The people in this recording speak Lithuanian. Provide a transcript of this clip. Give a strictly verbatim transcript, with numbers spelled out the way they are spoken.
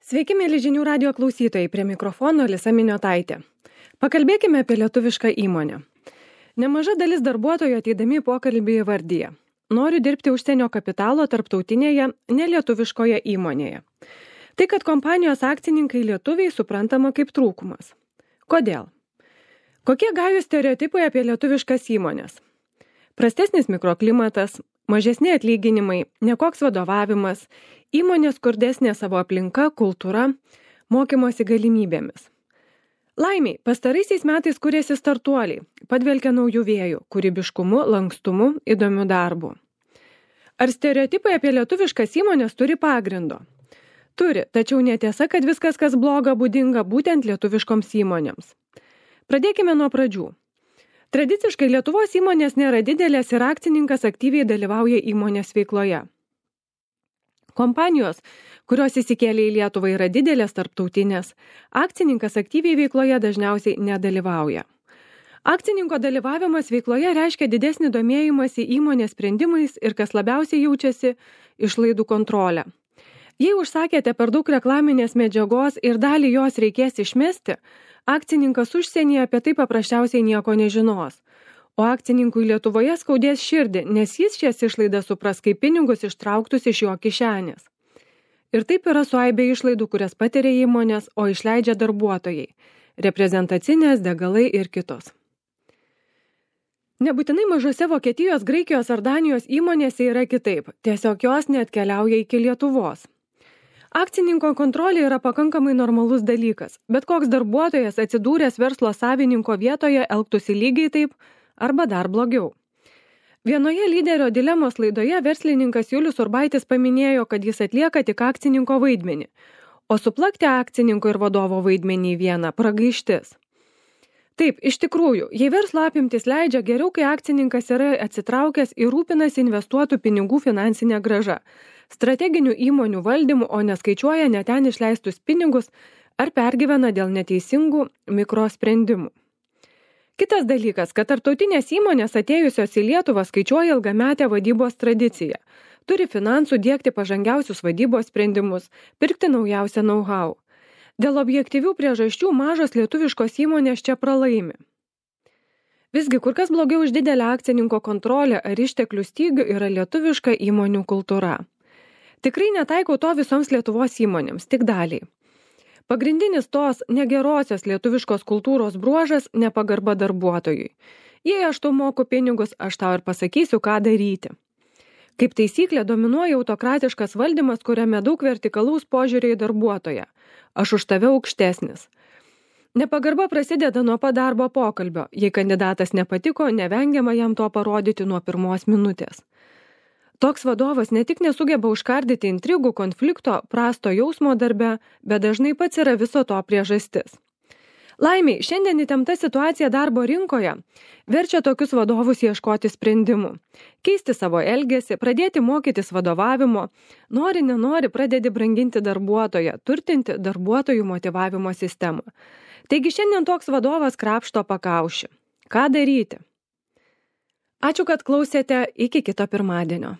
Sveiki, mėly žinių radio klausytojai, prie mikrofono Alisa Miniotaitė. Pakalbėkime apie lietuvišką įmonę. Nemaža dalis darbuotojų ateidami į pokalbį įvardyja: noriu dirbti užsienio kapitalo tarptautinėje, nelietuviškoje įmonėje. Tai, kad kompanijos akcininkai lietuviai, suprantama kaip trūkumas. Kodėl? Kokie gajūs stereotipai apie lietuviškas įmonės? Prastesnis mikroklimatas, mažesni atlyginimai, nekoks vadovavimas, įmonės skurdesnė savo aplinka, kultūra, mokymosi galimybėmis. Laimiai, pastaraisiais metais kuriasi startuoliai, padvelkia naujų vėjų, kūrybiškumu, lankstumu, įdomiu darbu. Ar stereotipai apie lietuviškas įmonės turi pagrindo? Turi, tačiau netiesa, kad viskas, kas bloga, būdinga būtent lietuviškoms įmonėms. Pradėkime nuo pradžių. Tradiciškai Lietuvos įmonės nėra didelės ir akcininkas aktyviai dalyvauja įmonės veikloje. Kompanijos, kurios įsikėlė į Lietuvą, yra didelės tarptautinės, akcininkas aktyviai veikloje dažniausiai nedalyvauja. Akcininko dalyvavimas veikloje reiškia didesnį domėjimąsi įmonės sprendimais ir, kas labiausiai jaučiasi, išlaidų kontrolę. Jei užsakėte per daug reklaminės medžiagos ir dalį jos reikės išmesti, akcininkas užsienyje apie tai paprasčiausiai nieko nežinos. O akcininkui Lietuvoje skaudės širdį, nes jis šias išlaidas supras kaip pinigus ištrauktus iš jo kišenės. Ir taip yra su aibė išlaidų, kurias patiria įmonės, o išleidžia darbuotojai, reprezentacinės, degalai ir kitos. Nebūtinai mažose Vokietijos, Graikijos ar Danijos įmonėse yra kitaip, tiesiog jos neatkeliauja iki Lietuvos. Akcininko kontrolė yra pakankamai normalus dalykas, bet koks darbuotojas atsidūręs verslo savininko vietoje elgtųsi lygiai taip arba dar blogiau. Vienoje lyderio dilemos laidoje verslininkas Julius Urbaitis paminėjo, kad jis atlieka tik akcininko vaidmenį, o suplakti akcininko ir vadovo vaidmenį į vieną pragaištis. Taip, iš tikrųjų, jei verslo apimtis leidžia, geriau, kai akcininkas yra atsitraukęs ir rūpinasi investuotų pinigų finansinę grąžą, strateginių įmonių valdymų, o neskaičiuoja net ten išleistus pinigus ar pergyvena dėl neteisingų mikrosprendimų. Kitas dalykas, kad tarptautinės įmonės atėjusios į Lietuvą skaičiuoja ilgametę vadybos tradiciją, turi finansų diegti pažangiausius vadybos sprendimus, pirkti naujausią know-how. Dėl objektyvių priežasčių mažos lietuviškos įmonės čia pralaimi. Visgi, kur kas blogiau už didelę akcininko kontrolę ar išteklių stygių yra lietuviška įmonių kultūra. Tikrai netaikau to visoms Lietuvos įmonėms, tik daliai. Pagrindinis tos negerosios lietuviškos kultūros bruožas – nepagarba darbuotojui. Jei aš tau moku pinigus, aš tau ir pasakysiu, ką daryti. Kaip taisyklė dominuoja autokratiškas valdymas, kuriame daug vertikalaus požiūrio į darbuotoją. Aš už tave aukštesnis. Nepagarba prasideda nuo pat darbo pokalbio. Jei kandidatas nepatiko, nevengiama jam to parodyti nuo pirmos minutės. Toks vadovas ne tik nesugeba užkardyti intrigų, konflikto, prasto jausmo darbe, bet dažnai pats yra viso to priežastis. Laimiai, šiandien įtempta situacija darbo rinkoje verčia tokius vadovus ieškoti sprendimų. Keisti savo elgesį, pradėti mokytis vadovavimo, nori, nenori, pradedi branginti darbuotoją, turtinti darbuotojų motyvavimo sistemą. Taigi šiandien toks vadovas krapšto pakaušį. Ką daryti? Ačiū, kad klausėte, iki kito pirmadienio.